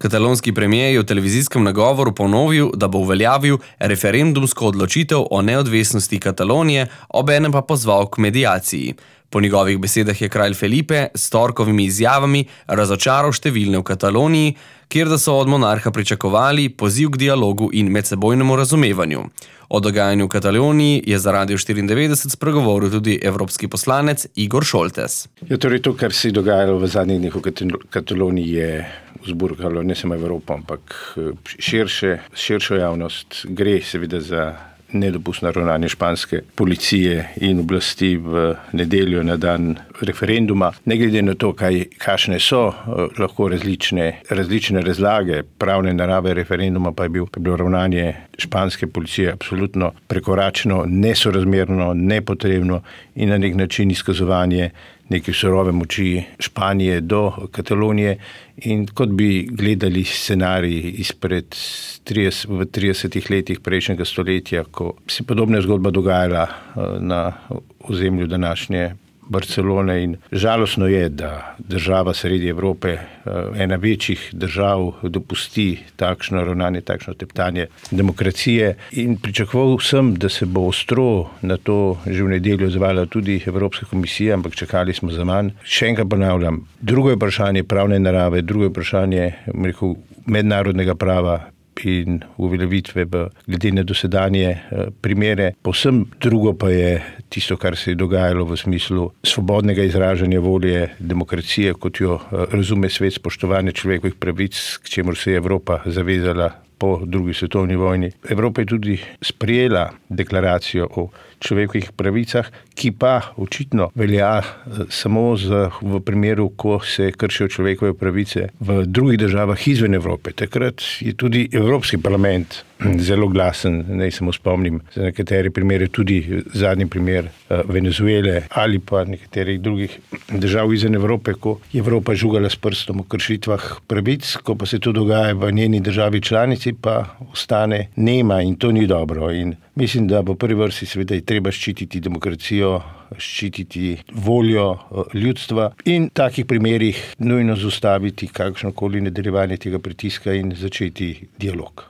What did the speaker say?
Katalonski premier je v televizijskem nagovoru ponovil, da bo uveljavil referendumsko odločitev o neodvisnosti Katalonije, obenem pa pozval k mediaciji. Po njegovih besedah je kralj Felipe s torkovimi izjavami razočaral številne v Kataloniji, kjer da so od monarha pričakovali poziv k dialogu in medsebojnemu razumevanju. O dogajanju v Kataloniji je za Radio 94 spregovoril tudi evropski poslanec Igor Šoltes. Ja, torej to, kar se je dogajalo v zadnjih dneh v Kataloniji, je vzburkalo ne samo Evropo, ampak širšo javnost. Gre seveda za nedopustno ravnanje španske policije in oblasti v nedeljo na dan referenduma. Ne glede na to, kakšne so lahko različne razlage pravne narave referenduma, pa je bilo ravnanje španske policije absolutno prekoračeno, nesorazmerno, nepotrebno in na nek način izkazovanje neke surove moči Španije do Katalonije, in kot bi gledali scenarij izpred v 30 letih prejšnjega stoletja, ko se podobna zgodba dogajala na ozemlju današnje Barcelone, in žalostno je, da država sredi Evrope, ena večjih držav, dopusti takšno ravnanje, takšno teptanje demokracije, in pričakoval sem, da se bo ostro na to že v nedeljo odzvala tudi Evropska komisija, ampak čakali smo za manj. Še enkrat ponavljam, drugo je vprašanje pravne narave, drugo je vprašanje mednarodnega prava in uveljavitve glede na dosedanje primere. Povsem drugo pa je tisto, kar se je dogajalo v smislu svobodnega izražanja volje, demokracije, kot jo razume svet, spoštovanje človekovih pravic, k čemur se je Evropa zavezala po drugi svetovni vojni. Evropa je tudi sprejela deklaracijo o človekovih pravicah, ki pa očitno velja samo v primeru, ko se kršijo človekove pravice v drugih državah izven Evrope. Takrat je tudi Evropski parlament zelo glasen. Naj samo spomnim za nekatere primere, tudi zadnji primer Venezuele ali pa nekaterih drugih držav izven Evrope, ko je Evropa žugala s prstom o kršitvah pravic, ko pa se to dogaja v njeni državi članici, pa ostane nema, in to ni dobro. In mislim, da v prvi vrsti seveda je treba ščititi demokracijo, ščititi voljo ljudstva in v takih primerih nujno zaustaviti kakršnokoli nadaljevanje tega pritiska in začeti dialog.